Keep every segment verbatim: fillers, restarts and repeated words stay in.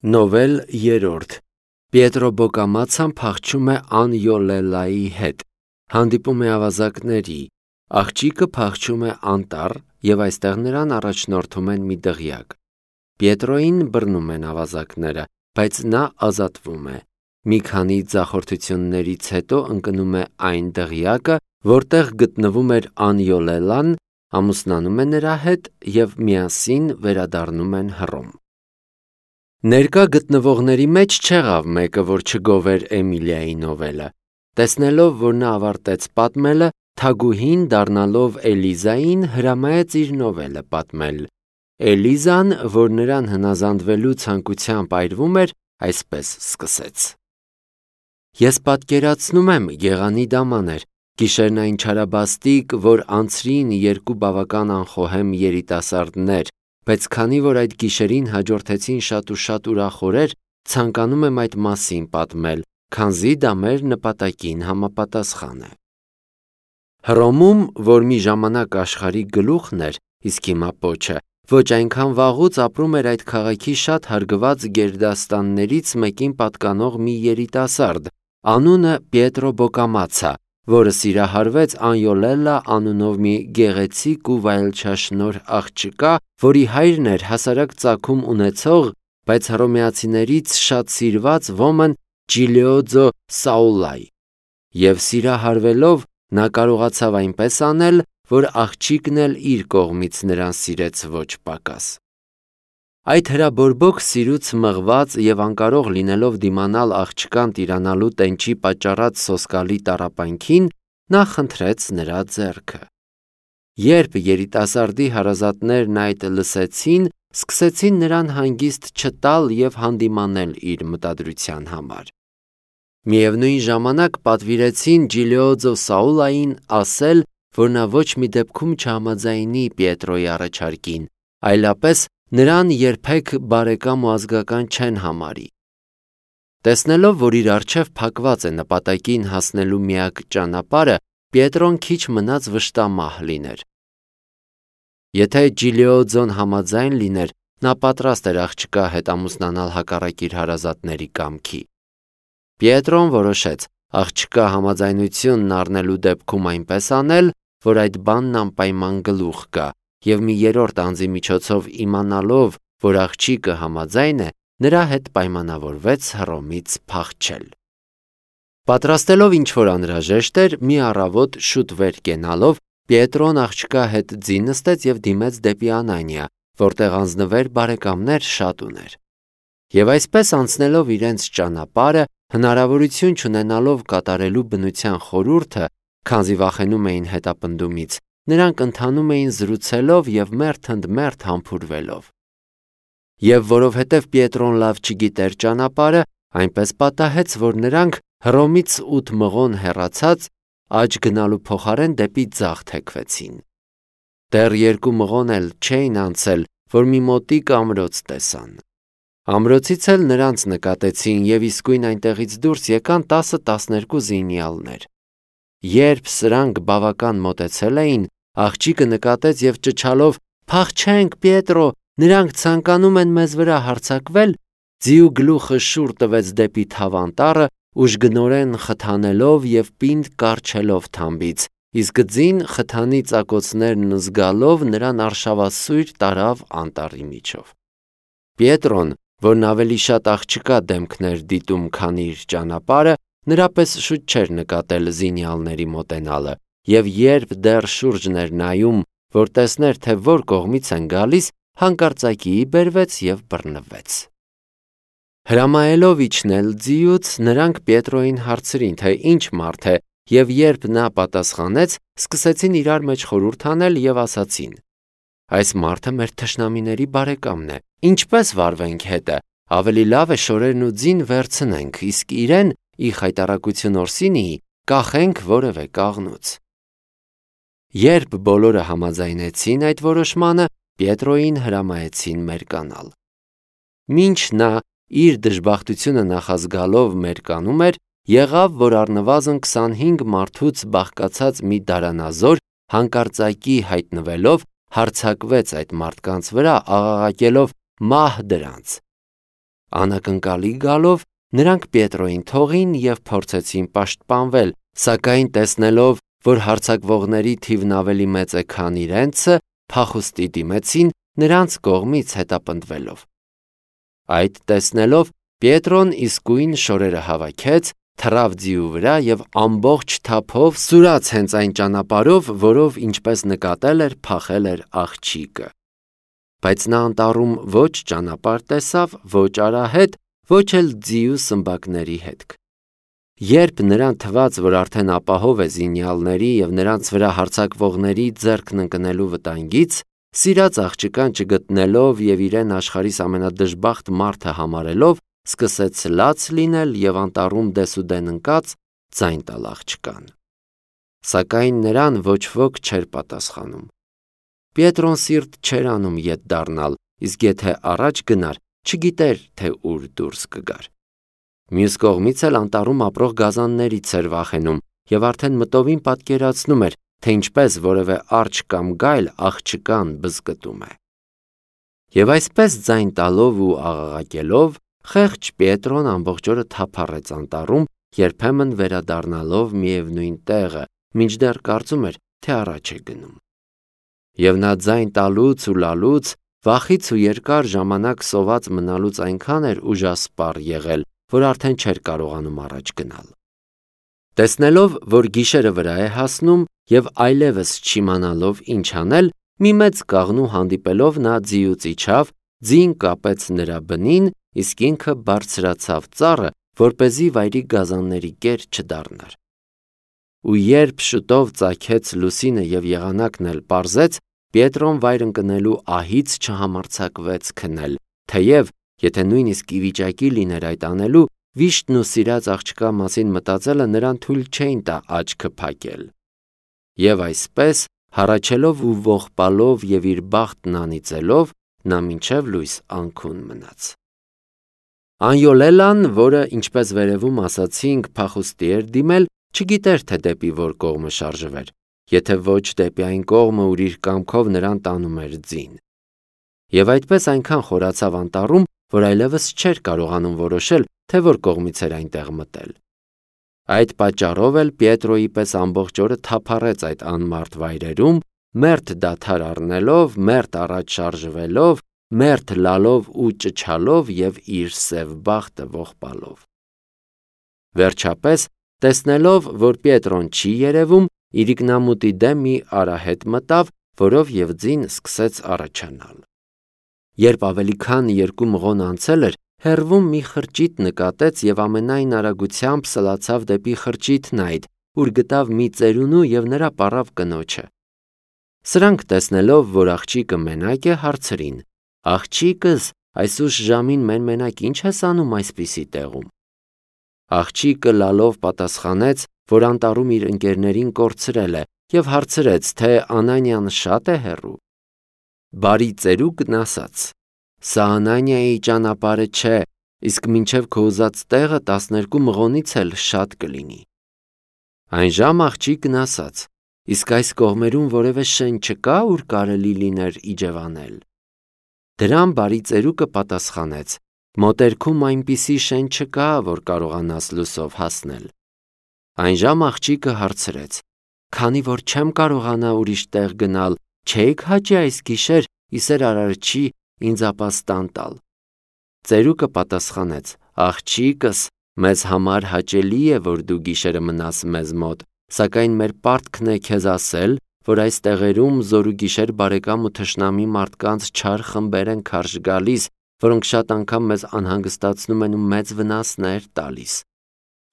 Նովել երրորդ Պիետրո Բոկամացան փախչում է Անյոլելայի հետ, հանդիպում է ավազակների, աղջիկը փախչում է անտառ և այստեղ նրան առաջնորդում են մի դղյակ։ Պիետրոյին բռնում են ավազակները, բայց նա ազատվում է։ Մի քանի ձախորդություններից հետո ընկնում է այն դղյակը, որտեղ գտնվում էր Անյոլելան, ամուսնանում է նրա հետ և միասին վերադառնում են Հռոմ։ Ներկա գտնվողների մեջ չեղավ մեկը, որ չգովեր Էմիլիայի նովելը։ Տեսնելով, որ նա ավարտեց պատմելը, թագուհին, դառնալով Էլիզային, հրամայեց իր նովելը պատմել։ Էլիզան, որ նրան հնազանդվելու ցանկությամբ այրվում էր, այսպես սկսեց. Ես պատկերացնում եմ գեղանի դամաներ, գիշերն այն չարաբաստիկ, որ անցրին երկու բավական անխոհեմ երիտասարդներ, բայց քանի որ այդ գիշերին հաջորդեցին շատ ու շատ ուրախ օրեր, ցանկանում եմ այդ մասին պատմել, քանզի դա մեր նպատակին համապատասխան է։ Հռոմում, որ մի ժամանակ աշխարհի գլուխն էր, իսկ հիմա պոչը, ոչ այնքան վաղուց ապրում էր այդ քաղաքի շատ հարգված գերդաստաններից մեկին պատկանող մի երիտասարդ, անունը Պիետրո Բոկամացա, որը սիրահարվեց Անյոլելա անունով մի գեղեցիկ ու վայելչաշնորհ աղջկա, որի հայրն էր հասարակ ծագում ունեցող, բայց հռոմեացիներից շատ սիրված ոմն Ջիլիոձո Սաուլայ, և սիրահարվելով նա կարողացավ այնպես անել, որ աղջիկն էլ իր կողմից նրան սիրեց ոչ պակաս։ Այդ հրաբորբոք սիրուց մղված և անկարող լինելով դիմանալ աղջկան տիրանալու տենչի պատճառած սոսկալի տառապանքին, նա խնդրեց նրա ձեռքը։ Երբ երիտասարդի հարազատներն այդ լսեցին, սկսեցին նրան հանգիստ չտալ և հանդիմանել իր մտադրության համար։ Միևնույն ժամանակ պատվիրեցին Ջիլիոձո Սաուլային ասել, որ նա ոչ մի դեպքում չհամաձայնի Պիետրոյի առաջարկին, այլապես նրան երբեք բարեկամ ու ազգական չեն համարի։ Տեսնելով, որ իր առջև փակված է նպատակին հասնելու միակ ճանապարհը, Պիետրոն քիչ մնաց վշտամահ լիներ։ Եթե Ջիլիոձոն համաձայն լիներ, նա պատրաստ էր աղջկա հետ ամուսնանալ հակառակ իր հարազատների կամքի։ Պիետրոն որոշեց աղջկա համաձայնությունն առնելու դեպքում այնպես անել, որ այդ բանն անպայման գլուխ գա, և մի երրորդ անձի միջոցով իմանալով, որ աղջիկը համաձայն է, նրա հետ պայմանավորվեց Հռոմից փախչել։ Պատրաստելով ինչ-որ անհրաժեշտ էր, մի առավոտ շուտ վեր կենալով, Պիետրոն աղջկա հետ ձին նստեց և դիմեց դեպի Անանիա, որտեղ անձնվեր բարեկամներ շատ ուներ։ Եվ այսպես անցնելով իրենց ճանապարհը, հնարավորություն չունենալով կատարելու բնության խորհուրդը, քանզի վախենում էին հետապնդումից, նրանք ընթանում էին զրուցելով և մերթ ընդ մերթ համբուրվելով։ Եվ որովհետև Պիետրոն լավ չգիտեր ճանապարհը, այնպես պատահեց, որ նրանք Հռոմից ութ մղոն հեռացած աջ գնալու փոխարեն դեպի ձախ թեքվեցին։ Դեռ երկու մղոն էլ չէին անցել, որ մի մոտիկ ամրոց տեսան։ Ամրոցից էլ նրանց նկատեցին և իսկույն այնտեղից դուրս եկան տասը-տասներկու զինյալներ։ Երբ սրանք բավական մոտեցել էին, աղջիկը նկատեց և ճչալով «Փախչենք, Պիետրո, նրանք ցանկանում են մեզ վրա հարձակվել», ձիու գլուխը շուռ տվեց դեպի թավանտառը, ուժգնորեն խթանելով և պինդ կառչելով թամբից, իսկ ձին խթանի ծակոցներն զգալով նրան արշավասույր տարավ անտառի միջով։ Պիետրոն, որն ավելի շատ աղջկա դեմքն էր դիտում, քան իր ճանապարհը, նրա պես շուտ չէր նկատել զինյալների մոտենալը, և երբ դեռ շուրջն էր նայում, որ տեսներ, թե որ կողմից են գալիս, հանկարծակիի բերվեց և բռնվեց։ Հրամայելով իջնել ձիուց, նրանք Պիետրոյին հարցրին, թե ինչ մարդ է, և երբ նա պատասխանեց, սկսեցին իրար մեջ խորհուրդ անել և ասացին. «Այս մարդը մեր թշնամիների բարեկամն է, ինչպե՞ս վարվենք հետը, ավելի լավ է շորերն ու ձին վերցնենք, իսկ իրեն, ի խայտառակություն Օրսինիի, կախենք որևէ կաղնուց»։ Երբ բոլորը համաձայնեցին այդ որոշմանը, Պիետրոյին հրամայեցին մերկանալ։ Մինչ նա իր դժբախտությունը նախազգալով մերկանում էր, եղավ, որ առնվազն քսանհինգ մարդուց բաղկացած մի դարանազոր, հանկարծակի հայտնվելով, հարձակվեց այդ մարդկանց վրա, աղաղակելով «Մահ դրանց»։ Անակնկալի գալով նրանք Պետրոյին թողին և փորձեցին պաշտպանվել, սակայն տեսնելով, որ հարձակվողների թիվն ավելի մեծ է, քան իրենցը, փախուստի դիմեցին նրանց կողմից հետապնդվելով։ Այդ տեսնելով Պետրոն իսկույն շորերը հավաքեց, թռավ ձիու վրա և ամբողջ թափով սուրաց հենց այն ճանապարհով, որով, ինչպես նկատել էր, փախել էր աղջիկը։ Բայց նա անտառում ոչ ճանապարհ տեսավ, ոչ արահետ, ոչ էլ ձիու սմբակների հետք։ Երբ նրան թվաց, որ արդեն ապահով է զինյալների և նրանց վրա հարձակվողների ձեռքն ընկնելու վտանգից, սիրած աղջկան չգտնելով և իրեն աշխարհիս ամենադժբախտ մարդը համարելով, սկսեց լաց լինել և անտառում դեսուդեն ընկած ձայն տալ աղջկան։ Սակայն նրան ոչ ոք չէր պատասխանում։ Պետրոն սիրտ չէր անում ետ դառնալ, իսկ եթե առաջ գնար, չգիտեր, թե ուր դուրս կգար։ Մյուս կողմից էլ անտառում ապրող գազաններից էր վախենում և արդեն մտովին պատկերացնում էր, թե ինչպես որևէ արջ կամ գայլ աղջկան բզկտում է։ Եվ այսպես ձայն տալով ու աղաղակելով, խեղճ Պետրոն ամբողջ օրը թափառեց անտառում, երբեմն վերադառնալով միևնույն տեղը, մինչդեռ կարծում էր, թե առաջ է գնում։ Եվ նա ձայն տալուց ու լալուց, վախից ու երկար ժամանակ սոված մնալուց այնքան էր ուժասպառ եղել, որ արդեն չէր կարողանում առաջ գնալ։ Տեսնելով, որ գիշերը վրա է հասնում և այլևս չիմանալով ինչ անել, մի մեծ կաղնու հանդիպելով նա ձիուց իջավ, ձին կապեց նրա բնին, իսկ ինքը բարձրացավ ծառը, որպեսզի վայրի գազանների կեր չդառնար։ Ու երբ շուտով ծագեց լուսինը և եղանակն էլ պարզեց, Պետրոն վայր ընկնելու ահից չհամարձակվեց քնել, թեև, եթե նույնիսկ ի վիճակի լիներ այդ անելու, վիշտն ու սիրած աղջկա մասին մտածելը նրան թույլ չէին տա աչքը փակել։ Եվ այսպես, հառաչելով ու ողբալով և իր բախտն անիծելով, նա մինչև լույս անքուն մնաց։ Անյոլելան, որը, ինչպես վերևում ասացինք, փախուստի էր դիմել, չգիտեր, թե դեպի որ կողմը շարժվեր, եթե ոչ դեպի այն կողմը, ուր իր կամքով նրան տանում էր ձին։ Եվ այդպես այնքան խորացավ անտառում, որ այլևս չէր կարողանում որոշել, թե որ կողմից էր այնտեղ մտել։ Այդ պատճառով էլ Պետրոյի պես ամբողջ օրը թափառեց այդ անմարդ վայրերում, մերթ դադար առնելով, մերթ առաջ շարժվելով, մերթ լալով ու ճչալով և իր սև բախտը ողբալով։ Վերջապես, տեսնելով, որ Պետրոն չի երևում, իրիկնամուտի դեմ մի արահետ մտավ, որով և ձին սկսեց առաջանալ։ Երբ ավելի քան երկու մղոն անցել էր, հեռվում մի խրճիթ նկատեց և ամենայն արագությամբ սլացավ դեպի խրճիթն այդ, ուր գտավ մի ծերունու և նրա պառավ կնոջը։ Սրանք տեսնելով, որ աղջիկը մենակ է, հարցրին. «Աղջիկս, այս ուշ ժամին մեն-մենակ ի՞նչ ես անում այսպիսի տեղում»։ Աղջիկը լալով պատասխանեց, որ անտառում իր ընկերներին կորցրել է և հարցրեց, թե Անանյան շա՞տ է հեռու։ Բարի ծերուկն ասաց. «Սա Անանիայի ճանապարհը չէ, իսկ մինչև քո ուզած տեղը տասներկու մղոնից էլ շատ կլինի»։ Այնժամ աղջիկն ասաց. «Իսկ այս կողմերում որևէ շեն չկա, ուր կարելի լիներ իջևանել»։ Դրան բարի ծերուկը պատասխանեց. «Մոտերքում այնպիսի շեն չկա, որ կարողանաս լուսով հասնել»։ Այնժամ աղջիկը հարցրեց. «Քանի որ չեմ կարողանա ուրիշ տեղ գնալ, չէի՞ք հաճի այս գիշեր ի սեր Արարչի ինձ ապաստան տալ»։ Ծերուկը պատասխանեց. «Աղջիկս, մեզ համար հաճելի է, որ դու գիշերը մնաս մեզ մոտ, սակայն մեր պարտքն է քեզ ասել, որ այս տեղերում զօրուգիշեր բարեկամ ու թշնամի մարդկանց չար խմբեր են քարշ գալիս, որոնք շատ անգամ մեզ անհանգստացնում են ու մեծ վնասներ տալիս։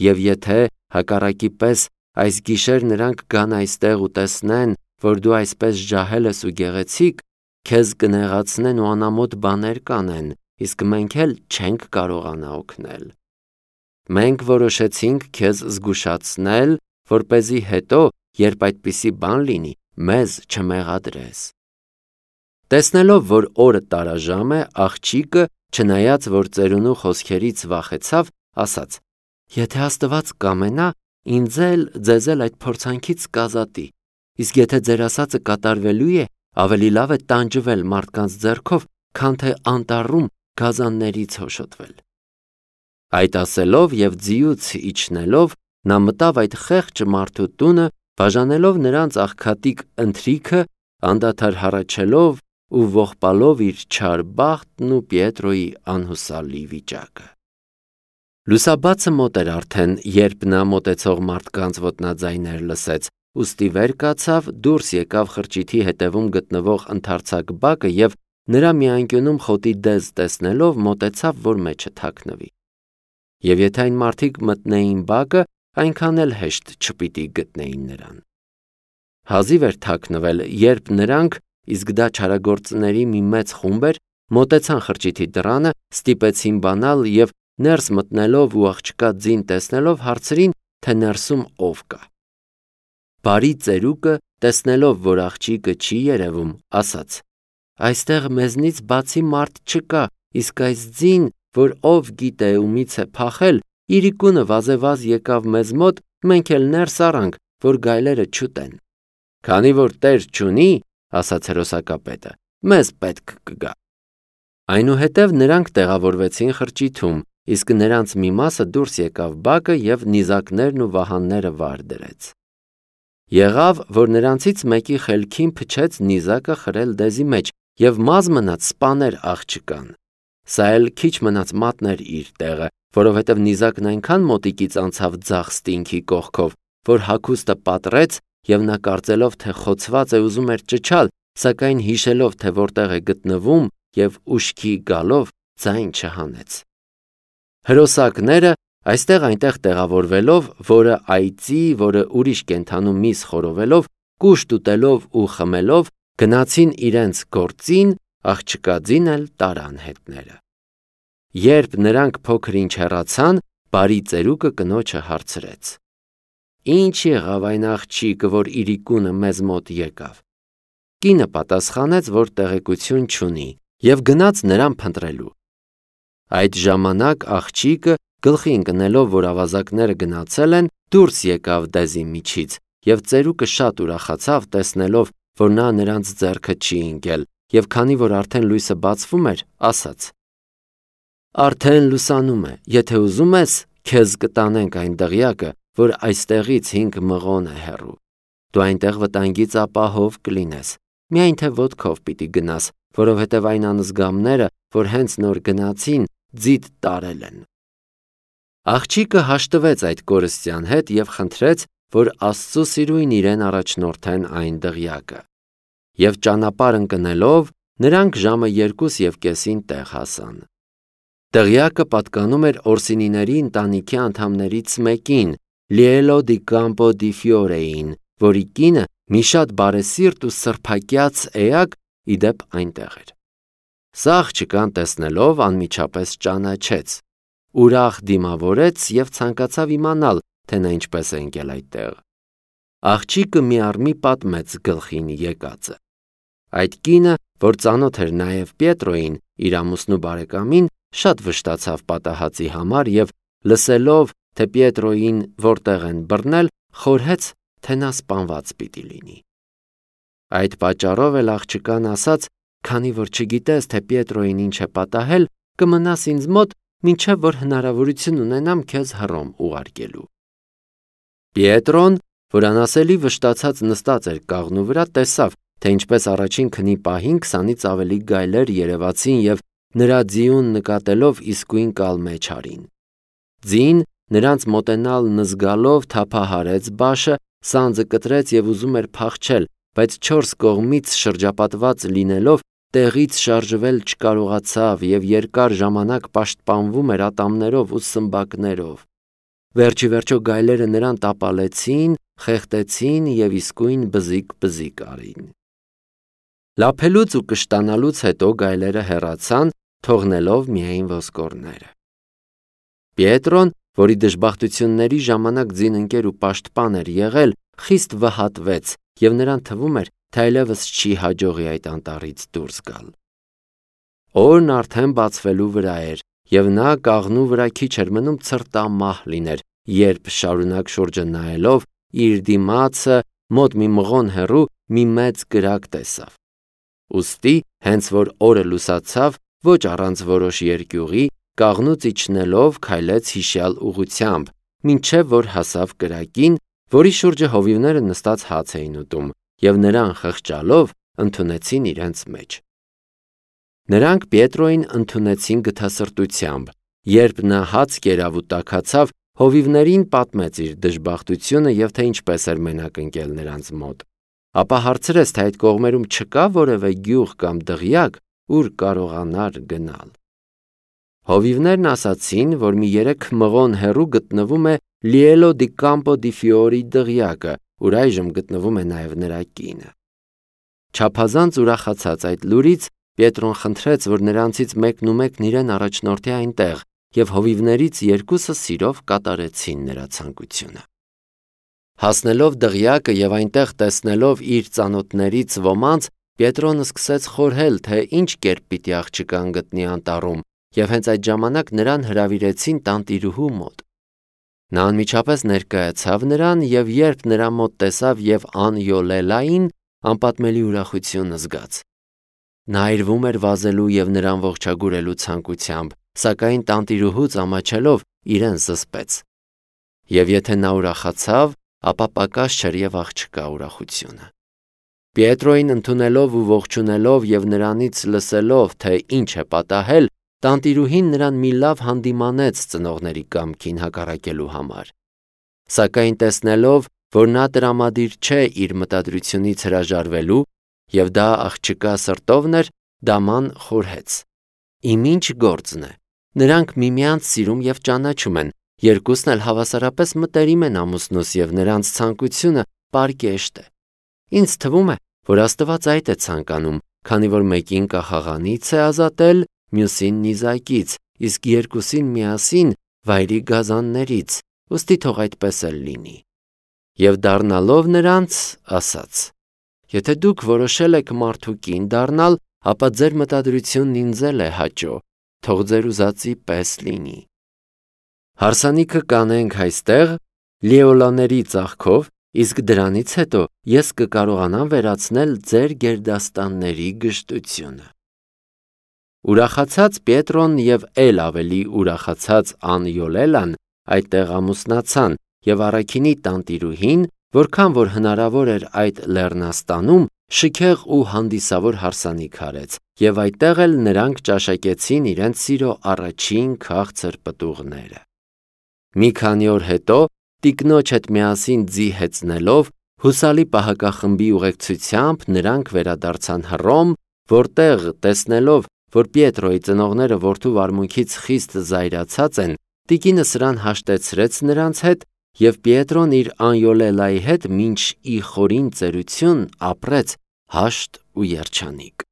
Եվ եթե, հակառակի պես, այս գիշեր նրանք գան այստեղ ու տեսնեն, որ դու այսպես ջահել ես ու գեղեցիկ, քեզ կնեղացնեն ու անամոթ բաներ կանեն, իսկ մենք էլ չենք կարողանա օգնել։ Մենք որոշեցինք քեզ զգուշացնել, որպեսզի հետո, երբ այդպիսի բան լինի, մեզ չմեղադրես»։ Տեսնելով, որ օրը տարաժամ է, աղջիկը, չնայած որ ծերունու խոսքերից վախեցավ, ասաց. «Եթե Աստված կամենա, ինձ էլ ձեզ էլ այդ փորձանքից կազատի, իսկ եթե ձեր ասածը կատարվելու է, ավելի լավ է տանջվել մարդկանց ձեռքով, քան թե անտառում գազաններից հոշոտվել»։ Այդ ասելով և ձիուց իջնելով նա մտավ այդ խեղճ մարդու տունը, բաժանելով նրանց աղքատիկ ընթրիքը, անդադար հառաչելով ու ողբալով իր չար բախտն ու Պիետրոյի անհուսալի վիճակը։ Լուսաբացը մոտ էր արդեն, երբ նա մոտեցող մարդկանց ոտնաձայներ լսեց, ուստի վեր կացավ, դուրս եկավ խրճիթի հետևում գտնվող ընդարձակ բակը և նրա մի անկյունում խոտի դեզ տեսնելով մոտեցավ, որ մեջը թաքնվի։ Եվ եթե այն մարդիկ մտնեին բակը, այնքան էլ հեշտ չպիտի գտնեին նրան։ Հազիվ էր թաքնվել, երբ նրանք, իսկ դա չարագործների մի մեծ խումբ էր, մոտեցան խրճիթի դռանը, ստիպեցին բանալ և ներս մտնելով ու աղջկա ձին տեսնելով հարցրին, թե ներսում ով կա։ Բարի ծերուկը, տեսնելով, որ աղջիկը չի երևում, ասաց. «Այստեղ մեզնից բացի մարդ չկա, իսկ այս ձին, որ ով գիտե ումից է փախել, իրիկունը վազեվազ եկավ մեզ մոտ, մենք էլ ներս առանք, որ գայլերը չուտեն։ Քանի որ տեր չունի, ասաց հերոսակապետը, մեզ պետք կգա»։ Այնուհետև նրանք տեղավորվեցին խրճիթում, իսկ նրանց մի մասը դուրս եկավ բակը և նիզակներն ու վահանները վար դրեց։ Եղավ, որ նրանցից մեկի խելքին փչեց նիզակը խրել դեզի մեջ և մազ մնաց սպաներ աղջկան։ Սա էլ քիչ մնաց մատներ իր տեղը, որովհետև նիզակն այնքան մոտիկից անցավ ձախ ստինքի կողքով, որ հագուստը պատռեց և նա կարծելով, թե խոցված է ուզում էր ճչալ, սակայն հիշելով, թե որտեղ է գտնվում և ուշքի գալով ձայն չհանեց։ Հրոսակները այստեղ-այնտեղ տեղավորվելով, որը այծի, որը ուրիշ կենդանու միս խորովելով, կուշտ ուտելով ու խմելով, գնացին իրենց գործին, աղջկա ձին էլ տարան հետները։ Երբ նրանք փոքր ինչ հեռացան, բարի ծերուկը կնոջը հարցրեց. «Ինչ եղավ այն աղջիկը, որ իրիկունը մեզ մոտ եկավ»։ Կինը պատասխանեց, որ տեղեկություն չունի և գնաց նրան փնտրելու։ Այդ ժամանակ աղջիկը, գլխի ընկնելով, որ ավազակները գնացել են, դուրս եկավ դեզի միջից և ծերուկը շատ ուրախացավ, տեսնելով, որ նա նրանց ձեռքը չի ընկել, և քանի որ արդեն լույսը բացվում էր, ասաց. «Արդեն լուսանում է, եթե ուզում ես, քեզ կտանենք այն դղյակը, որ այստեղից հինգ մղոն է հեռու։ Դու այնտեղ վտանգից ապահով կլինես, միայն թե ոտքով պիտի գնաս, որովհետև այն անզգամները, որ հենց նոր գնացին, ձիթ տարել են»։ Աղջիկը հաշտվեց այդ կորստյան հետ և խնդրեց, որ Աստծու սիրույն իրեն առաջնորդեն այն դղյակը։ Եվ ճանապարհ ընկնելով, նրանք ժամը երկուս և կեսին տեղ հասան։ Դղյակը պատկանում էր Օրսինիների ընտանիքի անդամներից մեկին, Լիելո դի Կամպո դի Ֆիորեին, որի կինը մի շատ բարեսիրտ ու սրբակյաց էակ ի դեպ այնտեղ էր։ Սա աղջկան տեսնելով անմիջապես ճանաչեց, ուրախ դիմավորեց և ցանկացավ իմանալ, թե նա ինչպես է ընկել այդտեղ։ Աղջիկը մի առ մի պատմեց գլխին եկածը։ Այդ կինը, որ ծանոթ էր նաև Պիետրոյին, իր ամուսնու բարեկամին, շատ վշտացավ պատահածի համար և լսելով, թե Պիետրոյին որտեղ են բռնել, խորհեց, թե նա սպանված պիտի լինի։ Այդ պատճառով էլ աղջկան ասաց, քանի որ չգիտես, թե Պիետրոյին ինչ է պատահել, կմնաս ինձ մոտ, մինչև որ հնարավորություն ունենամ քեզ Հռոմ ուղարկելու։ Պիետրոն, որ անասելի վշտացած նստած էր կաղնու վրա, տեսավ, թե ինչպես առաջին քնի պահին քսանից ավելի գայլեր երևացին և նրա ձիուն նկատելով իսկույն կալմեջ արին։ Ձին նրանց մոտենալ նզգալով թափահարեց բաշը, սանձը կտրեց և ուզում էր փախչել, բայց չորս կողմից շրջապատված լինելով տեղից շարժվել չկարողացավ և երկար ժամանակ պաշտպանվում էր ատամներով ու սմբակներով։ Վերջիվերջո գայլերը նրան տապալեցին, խեղդեցին և իսկույն բզիկ-բզիկ արին։ Լափելուց ու կշտանալուց հետո գայլերը հեռացան, թողնելով միայն ոսկորները։ Պիետրոն, որի դժբախտությունների ժամանակ ձինընկեր ու պաշտպան էր եղել, խիստ վհատվեց և նրան թվում էր, թե այլևս չի հաջողի այդ անտառից դուրս գալ։ Օրն արդեն բացվելու վրա էր, և նա կաղնու վրա քիչ էր մնում ցրտամահ լիներ, երբ շարունակ շուրջը նայելով իր դիմացը մոտ մի մղոն հեռու մի մեծ կրակ տեսավ։ Ուստի, հենց որ օրը լուսացավ, ոչ առանց որոշ երկյուղի, կաղնուց իջնելով քայլեց հիշյալ ուղղությամբ, մինչև որ հասավ կրակին, որի շուրջը հովիվները նստած հաց էին ուտում, և նրան խղճալով ընդունեցին իրենց մեջ։ Նրանք Պետրոյին ընդունեցին գթասրտությամբ, երբ նա հաց կերավ ու տաքացավ, հովիվներին պատմեց իր դժբախտությունը և թե ինչպես էր մենակ ընկել նրանց մոտ, ապա հարցրեց, թե այդ կողմերում չկա որևէ գյուղ կամ դղյակ, ուր կարողանար գնալ։ Հովիվներն ասացին, որ մի երեք մղոն հեռու գտնվում է Լիելո դի Կամպո դի Ֆիորի դղյակը, ուր այժմ գտնվում է նաև նրա կինը։ Չափազանց ուրախացած այդ լուրից, Պետրոն խնդրեց, որ նրանցից մեկն ու մեկն իրեն առաջնորդի այնտեղ, և հովիվներից երկուսը սիրով կատարեցին նրա ցանկությունը։ Հասնելով դղյակը և այնտեղ տեսնելով իր ծանոթներից ոմանց, Պետրոն սկսեց խորհել, թե ինչ կերպ պիտի աղջկան գտնի անտառում, և հենց այդ ժամանակ նրան հրավիրեցին տանտիրուհու մոտ։ Նա անմիջապես ներկայացավ նրան, և երբ նրա մոտ տեսավ և Անյոլելային, անպատմելի ուրախություն զգաց։ Նա այրվում էր վազելու և նրան ողջագուրելու ցանկությամբ, սակայն տանտիրուհուց ամաչելով իրեն զսպեց։ Եվ եթե նա ուրախացավ, ապա պակաս չէր և աղջկա ուրախությունը։ Պետրոյին ընդունելով ու ողջունելով և նրանից լսելով, թե ինչ է պատահել, տանտիրուհին նրան մի լավ հանդիմանեց ծնողների կամքին հակառակելու համար։ Սակայն տեսնելով, որ նա տրամադիր չէ իր մտադրությունից հրաժարվելու, և դա աղջկա սրտովն էր, դաման խորհեց. «Իմ ինչ գործն է, նրանք միմյանց սիրում և ճանաչում են, երկուսն էլ հավասարապես մտերիմ են ամուսնուս և նրանց ցանկությունը պարկեշտ է։ Ինձ թվում է, որ Աստված այդ է ցանկանում, քանի որ մեկին կախաղանից է ազատել, մյուսին նիզակից, իսկ երկուսին միասին վայրի գազաններից, ուստի թող այդպես էլ լինի»։ Եվ դառնալով նրանց, ասաց. «Եթե դուք որոշել եք մարդու կին դառնալ, ապա ձեր մտադրությունն ինձ էլ է հաճո, թող ձեր ուզածի պես լինի»։ Հարսանիքը կանենք այստեղ Լիոլաների ծաղկով, իսկ դրանից հետո ես կկարողանամ վերացնել ձեր գերդաստանների գժտությունը։ Ուրախացած Պետրոն և էլ ավելի ուրախացած Անյոլելան այդտեղ ամուսնացան, և առաքինի տանտիրուհին, որքան որ հնարավոր էր այդ լեռնաստանում, շքեղ ու հանդիսավոր հարսանիք արեց, և այդտեղ էլ նրանք ճաշակեցին իրենց սիրո առաջին քաղցր պտուղները։ Մի քանի օր հետո, տիկնոջ հետ միասին ձի հեծնելով, հուսալի պահակախմբի ուղեկցությամբ նրանք վերադարձան Հռոմ, որտեղ, տեսնելով, որ Պետրոյի ծնողները որդու վարմունքից խիստ զայրացած են, տիկինը սրան հաշտեցրեց նրանց հետ, և Պետրոն իր Անյոլելայի հետ մինչ ի խորին ծերություն ապրեց հաշտ ու երջանիկ։